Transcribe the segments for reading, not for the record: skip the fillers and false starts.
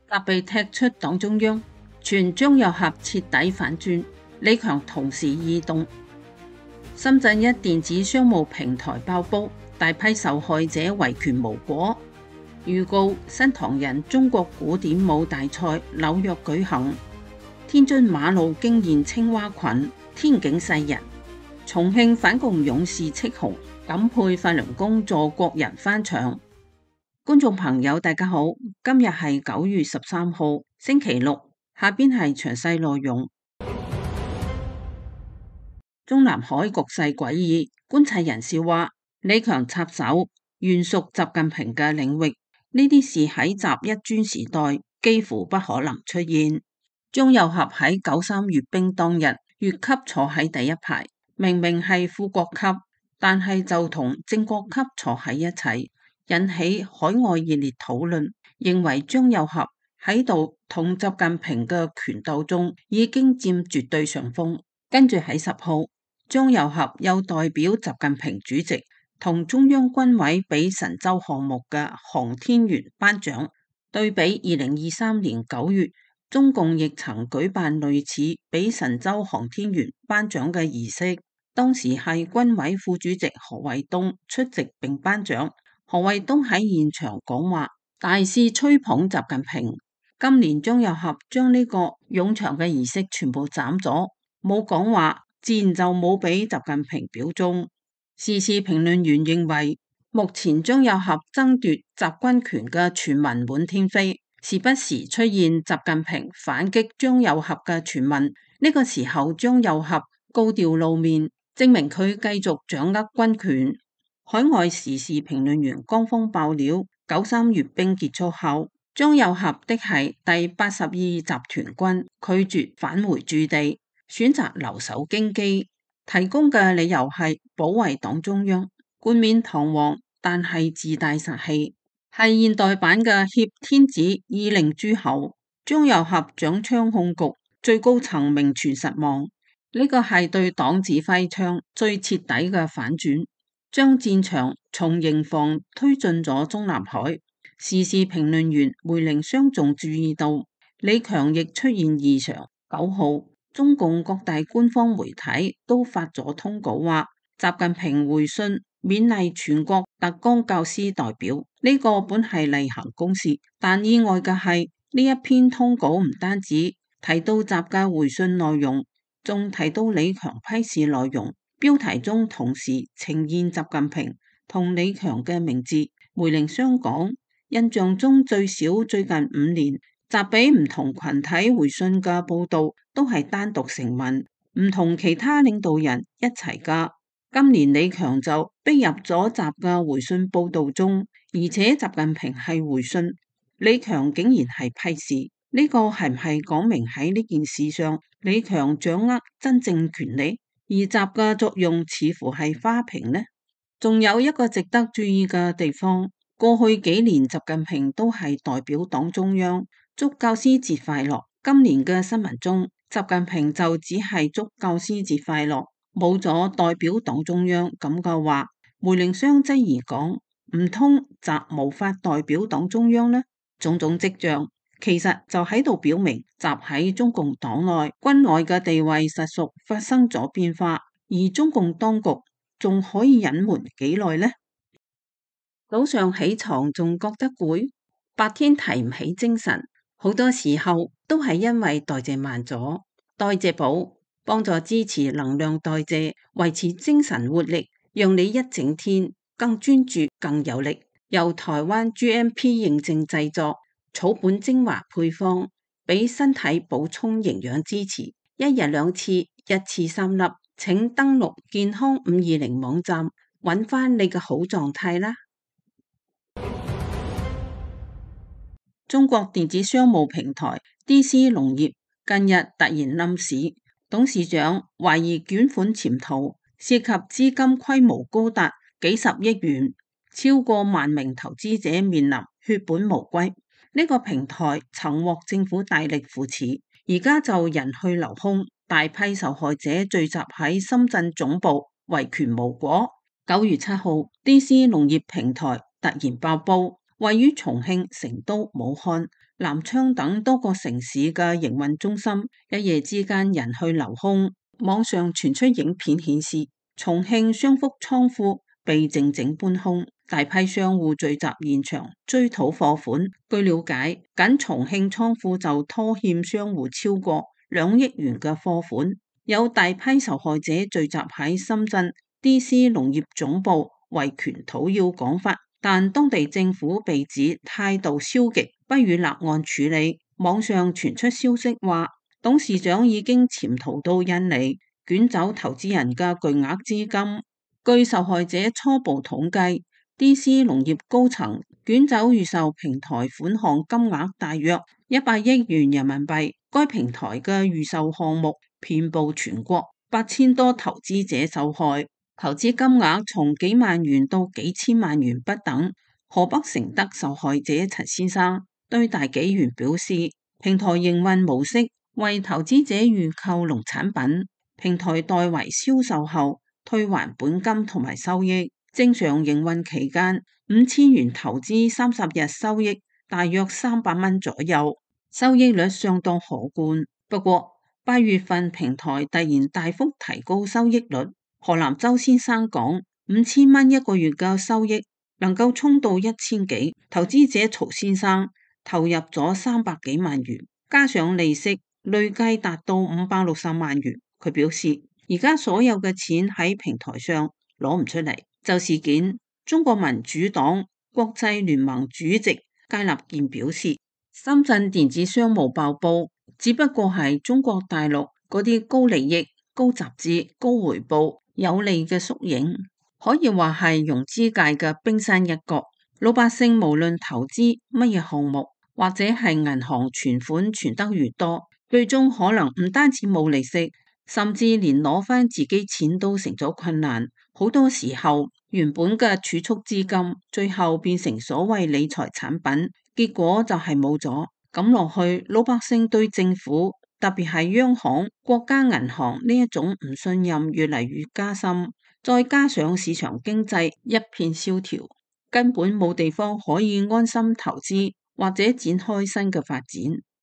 甲被踢出黨中央，傳張又俠徹底反轉，李強同時異動。深圳一電子商務平台爆煲，大批受害者維權無果。預告新唐人中國古典舞大賽紐約舉行。天津馬路驚現青蛙群，天警世人。重慶反共勇士戚紅，感佩法輪功助國人翻牆。觀眾朋友大家好，今日係9月13號星期六，下邊係詳細內容。中南海局勢詭異，觀察人士話李強插手原屬習近平嘅領域，呢啲事喺習一專時代幾乎不可能出現。張又俠喺93閱兵當日越級坐喺第一排，明明係副國級，但係就同正國級坐喺一齊，引起海外熱烈討論，認為張又俠喺度同習近平嘅權鬥中已經佔絕對上風。跟住喺10號，張又俠又代表習近平主席同中央軍委俾神舟項目嘅航天員頒獎，對比2023年9月，中共亦曾舉辦類似俾神舟航天員頒獎嘅儀式，當時係軍委副主席何衛東出席並頒獎。何衛東喺現場講話，大肆吹捧習近平。今年張又俠將呢個冗長嘅儀式全部斬咗，冇講話，自然就冇俾習近平表忠。時事評論員認為，目前張又俠爭奪習軍權嘅傳聞滿天飛，時不時出現習近平反擊張又俠嘅傳聞。呢個時候張又俠高調露面，證明佢繼續掌握軍權。海外時事評論員江峰爆料，93閱兵結束後，張又俠的係第82集團軍拒絕返回駐地，選擇留守京畿，提供嘅理由係保衛黨中央，冠冕堂皇，但係自帶殺氣，係現代版嘅挾天子以令諸侯。張又俠掌槍控局，最高層名存實亡，呢個係對黨指揮槍最徹底嘅反轉，將戰場從營房推進咗中南海。時事評論員梅凌霜仲注意到李強亦出現異常。9號，中共各大官方媒體都發咗通稿話，習近平回信勉勵全國特崗教師代表，呢個本係例行公事，但意外嘅係呢一篇通稿唔單止提到習嘅回信內容，仲提到李強批示內容，標題中同時呈現習近平同李強嘅名字。梅凌霜講，印象中最少最近5年，習俾唔同群體回信嘅報道都係單獨成文，唔同其他領導人一齊噶。今年李強就逼入咗習嘅回信報道中，而且習近平係回信，李強竟然係批示，呢個係唔係講明喺呢件事上李強掌握真正權力，而習嘅作用似乎係花瓶呢？仲有一個值得注意嘅地方，過去幾年習近平都係代表黨中央祝教師節快樂，今年嘅新聞中習近平就只係祝教師節快樂，冇咗代表黨中央咁嘅話，梅凌霜質疑講，唔通習無法代表黨中央呢？種種跡象其實就喺度表明習喺中共黨內軍內嘅地位實屬發生咗變化，而中共當局仲可以隱瞞幾耐呢？早上起床仲覺得攰，白天提唔起精神，好多時候都係因為代謝慢咗。代謝寶幫助支持能量代謝，維持精神活力，讓你一整天更專注更有力。由台灣 GMP 認證製作，草本精華配方，俾身體補充營養支持，一日2次，一次3粒。請登錄健康520網站，揾翻你嘅好狀態啦。中國電子商務平台 DC 農業近日突然冧市，董事長懷疑捲款潛逃，涉及資金規模高達幾十億元，超過萬名投資者面臨血本無歸。呢個平台曾獲政府大力扶持，而家就人去樓空，大批受害者聚集喺深圳總部，維權無果。9月7號 DC 農業平台突然爆煲，位於重慶、成都、武漢南昌等多個城市嘅營運中心，一夜之間人去樓空。網上傳出影片顯示，重慶雙福倉庫被靜靜搬空，大批商戶聚集現場追討貨款。據了解，僅重慶倉庫就拖欠商戶超過2億元嘅貨款。有大批受害者聚集喺深圳 DC 農業總部維權討要講法，但當地政府被指態度消極，不予立案處理。網上傳出消息話，董事長已經潛逃到印尼，捲走投資人嘅巨額資金。據受害者初步統計，DC 農業高層捲走預售平台款項金額大約100億元人民幣。該平台嘅預售項目遍佈全國，8000多投資者受害，投資金額從幾萬元到幾千萬元不等。河北承德受害者陳先生對大紀元表示，平台營運模式為投資者預購農產品，平台代為銷售後退還本金同埋收益。正常營運期間5000元投資30日收益大約300蚊左右，收益率相當可觀。不過8月份平台突然大幅提高收益率。河南周先生講，5000蚊一個月嘅收益能夠衝到1000幾，投資者曹先生投入咗300幾萬元，加上利息，累計達到560萬元。佢表示，而家所有嘅錢喺平台上攞唔出嚟。就事件，中國民主黨國際聯盟主席佳立健表示，深圳電子商務爆煲只不過係中國大陸嗰啲高利益、高集資、高回報、有利嘅縮影，可以話係融資界嘅冰山一角。老百姓無論投資乜嘢項目，或者係銀行存款存得越多，最終可能唔單止冇利息，甚至連攞翻自己錢都成咗困難。好多時候原本嘅儲蓄資金，最後變成所謂理財產品，結果就係冇咗。咁落去，老百姓對政府，特別係央行、國家銀行呢一種唔信任越嚟越加深，再加上市場經濟一片蕭條，根本冇地方可以安心投資或者展開新嘅發展。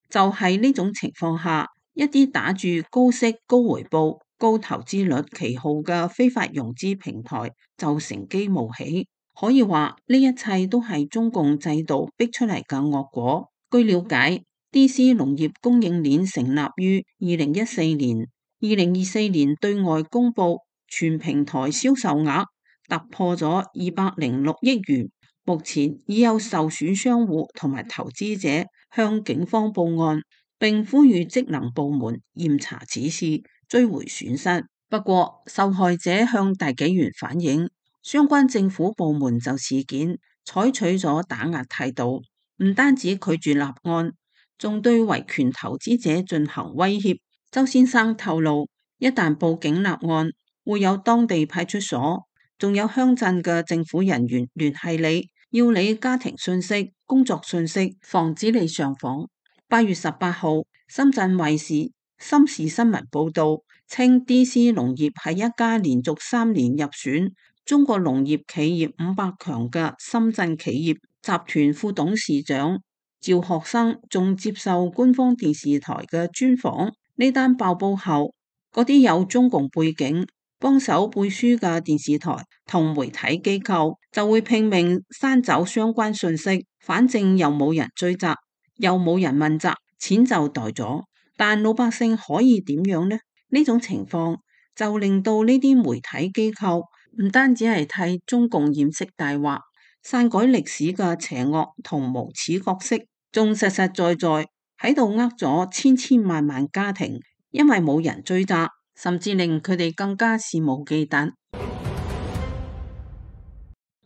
就係呢種情況下，一啲打住高息、高回報、高投資率旗號嘅非法融資平台就乘機冒起。可以話呢一切都係中共制度逼出嚟嘅惡果。據了解，DC 農業供應鏈成立於2014年，2024年對外公布全平台銷售額突破咗206億元。目前已有受損商戶同埋投資者向警方報案，並呼籲職能部門嚴查此事，追回損失。不過，受害者向大紀元反映，相關政府部門就事件採取咗打壓態度，唔單止拒絕立案，仲對維權投資者進行威脅。周先生透露，一旦報警立案，會有當地派出所，仲有鄉鎮嘅政府人員聯繫你，要你家庭信息、工作信息，防止你上訪。8月18號，深圳衛視深視新聞報道，稱 DC 農業係一家連續3年入選中國農業企業500強嘅深圳企業。集團副董事長趙學生仲接受官方電視台嘅專訪。呢單爆煲後，嗰啲有中共背景幫手背書嘅電視台同媒體機構就會拼命刪走相關信息，反正又冇人追責，又冇人問責，錢就袋咗。但老百姓可以點樣呢？呢種情況就令到呢啲媒體機構唔單止係替中共掩飾大話、篡改歷史嘅邪惡同無恥角色，仲實實在在喺度呃咗千千萬萬家庭，因為冇人追責，甚至令佢哋更加肆無忌憚。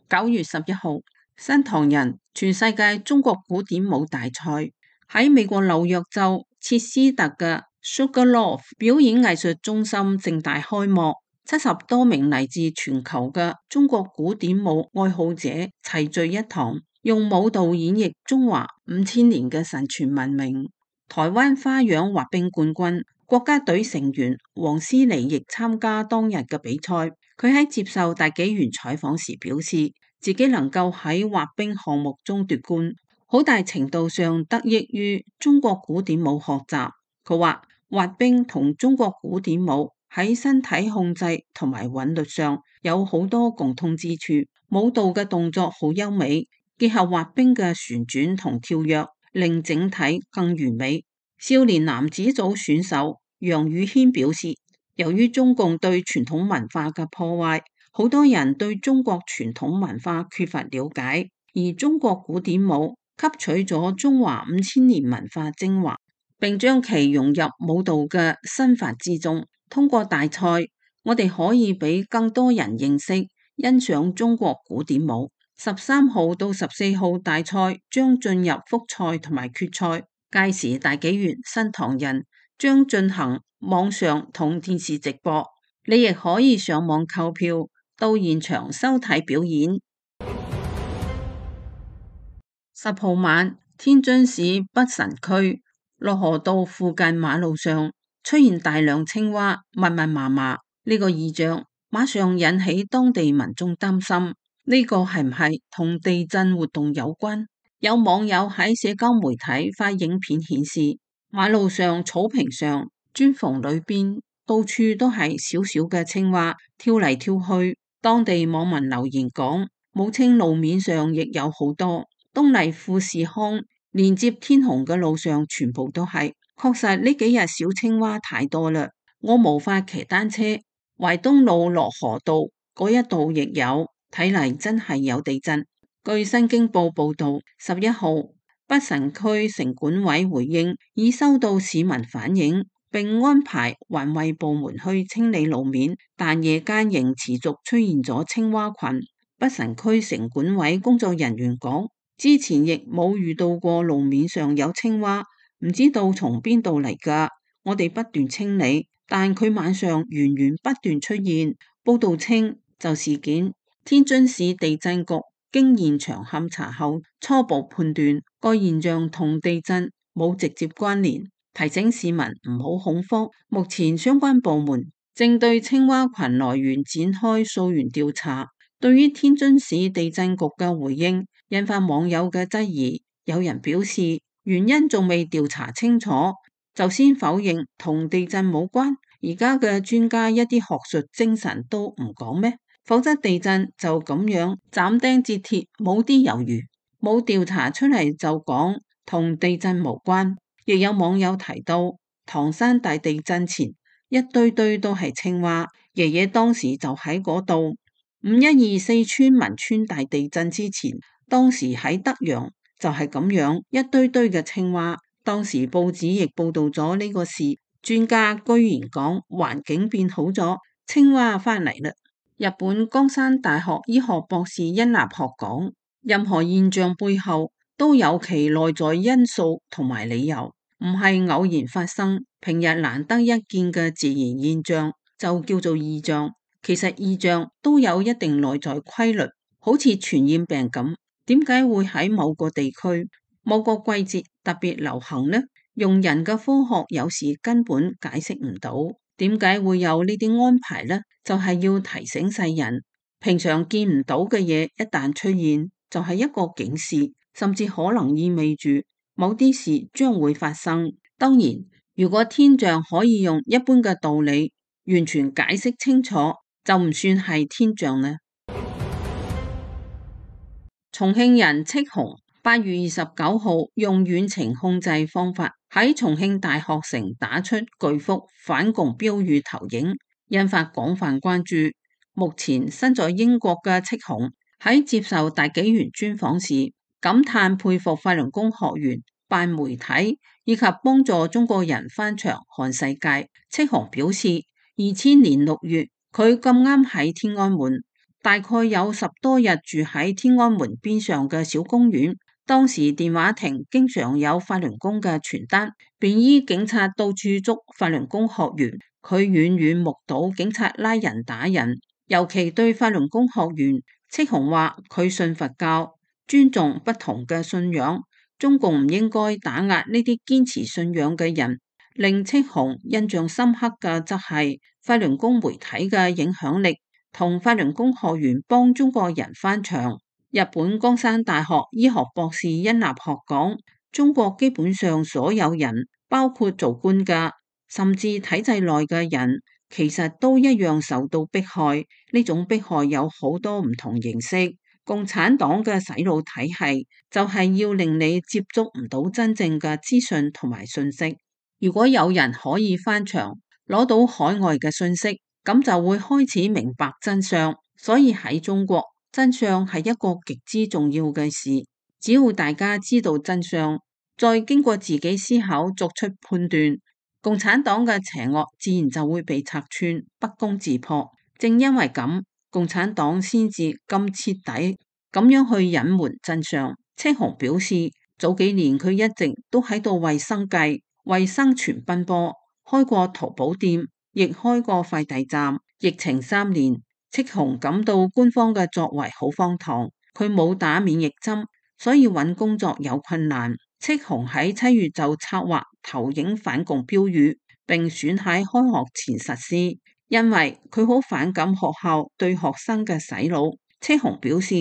9月11號，新唐人全世界中國古典舞大賽喺美國紐約州切斯特嘅 Sugarloaf 表演藝術中心盛大開幕。70多名嚟自全球嘅中國古典舞愛好者齊聚一堂，用舞蹈演繹中華5000年嘅神傳文明。台灣花樣滑冰冠軍、國家隊成員黃思妮亦參加當日嘅比賽。佢喺接受大紀元採訪時表示，自己能夠喺滑冰項目中奪冠，好大程度上得益於中國古典舞學習。佢話滑冰同中國古典舞喺身體控制同埋韻律上有好多共通之處，舞蹈嘅動作好優美，結合滑冰嘅旋轉同跳躍，令整體更完美。少年男子組選手楊宇軒表示，由於中共對傳統文化嘅破壞，好多人對中國傳統文化缺乏了解，而中國古典舞吸取咗中華5000年文化精華，並將其融入舞蹈嘅身法之中。通過大賽，我哋可以俾更多人認識、欣賞中國古典舞。13號到14號大賽將進入複賽同埋決賽，屆時大紀元新唐人將進行網上同電視直播，你亦可以上網購票到現場收睇表演。10號晚，天津市北辰區洛河道附近馬路上出現大量青蛙，密密麻麻。呢個異象馬上引起當地民眾擔心，呢個係唔係同地震活動有關？有網友喺社交媒體發影片顯示，馬路上、草坪上、磚縫裏邊到處都係小小嘅青蛙跳嚟跳去。當地網民留言講，武清路面上亦有好多。東麗富士康連接天虹嘅路上全部都係，確實呢幾日小青蛙太多啦，我無法騎單車。淮東路洛河道嗰一度亦有，睇嚟真係有地震。據新京報報道，11號北辰區城管委回應已收到市民反映，並安排環衛部門去清理路面，但夜間仍持續出現咗青蛙群。北辰區城管委工作人員講，之前亦冇遇到過路面上有青蛙，唔知道從邊度嚟㗎。我哋不斷清理，但佢晚上源源不斷出現。報道稱，就事件，天津市地震局經現場勘查後，初步判斷該現象同地震冇直接關聯，提醒市民唔好恐慌。目前相關部門正對青蛙群來源展開溯源調查。對於天津市地震局嘅回應，引發網友嘅質疑。有人表示，原因仲未調查清楚，就先否認同地震冇關。而家嘅專家一啲學術精神都唔講咩？否則地震就咁樣斬釘截鐵，冇啲猶豫，冇調查出嚟就講同地震無關。亦有網友提到，唐山大地震前一堆堆都係青蛙，爺爺當時就喺嗰度。512四川汶川大地震之前，當時喺德陽就係咁樣一堆堆嘅青蛙，當時報紙亦報道咗呢個事。專家居然講環境變好咗，青蛙返嚟啦。日本江山大學醫學博士殷立學講，任何現象背後都有其內在因素同埋理由，唔係偶然發生。平日難得一見嘅自然現象就叫做異象。其實異象都有一定內在規律，好似傳染病咁，點解會喺某個地區、某個季節特別流行呢？用人嘅科學有時根本解釋唔到，點解會有呢啲安排呢？就係要提醒世人，平常見唔到嘅嘢一旦出現，就係一個警示，甚至可能意味住某啲事將會發生。當然，如果天象可以用一般嘅道理完全解釋清楚，就唔算係天象呢。重慶人戚紅8月29號用遠程控制方法喺重慶大學城打出巨幅反共標語投影，引發廣泛關注。目前身在英國嘅戚紅喺接受大紀元專訪時，感嘆佩服法輪功學員辦媒體以及幫助中國人翻牆看世界。戚紅表示，2000年6月，佢咁啱喺天安門，大概有10多日住喺天安門邊上嘅小公園。當時電話亭經常有法輪功嘅傳單，便衣警察到處捉法輪功學員。佢遠遠目睹警察拉人打人，尤其對法輪功學員，戚紅話佢信佛教，尊重不同嘅信仰，中共唔應該打壓呢啲堅持信仰嘅人。令戚紅印象深刻嘅則係法輪功媒體嘅影響力同法輪功學員幫中國人翻牆。日本江山大學醫學博士殷立學講，中國基本上所有人，包括做官嘅，甚至體制內嘅人，其實都一樣受到迫害。呢種迫害有好多唔同形式。共產黨嘅洗腦體系就係要令你接觸唔到真正嘅資訊同埋信息。如果有人可以翻牆攞到海外嘅信息，咁就會開始明白真相。所以喺中國，真相係一個極之重要嘅事。只要大家知道真相，再經過自己思考作出判斷，共產黨嘅邪惡自然就會被拆穿，不攻自破。正因為咁，共產黨先至咁徹底咁樣去隱瞞真相。戚紅表示，早幾年佢一直都喺度為生計、為生存奔波，開過淘寶店，亦開過快遞站。疫情3年，戚紅感到官方嘅作為好荒唐，佢冇打免疫針，所以揾工作有困難。戚紅喺7月就策劃投影反共標語，並選喺開學前實施，因為佢好反感學校對學生嘅洗腦。戚紅表示，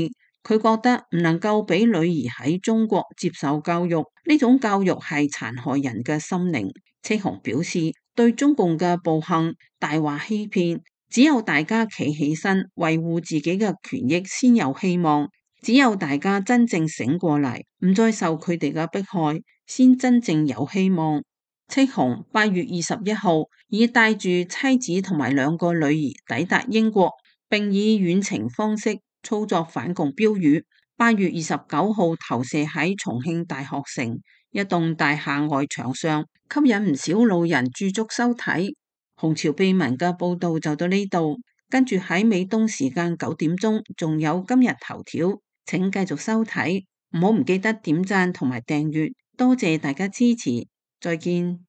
佢覺得唔能夠俾女兒喺中國接受教育，呢種教育係殘害人嘅心靈。戚紅表示，對中共嘅暴行、大話欺騙，只有大家企起身維護自己嘅權益先有希望，只有大家真正醒過嚟，唔再受佢哋嘅迫害，先真正有希望。戚紅8月21號已帶住妻子同埋2個女兒抵達英國，並以遠程方式操作反共標語。8月29號投射喺重慶大學城一棟大廈外牆上，吸引唔少路人駐足收睇。紅潮秘聞嘅報道就到呢度，跟住喺美東時間9點鐘仲有今日頭條，請繼續收睇，唔好唔記得點讚同埋訂閱，多謝大家支持，再見。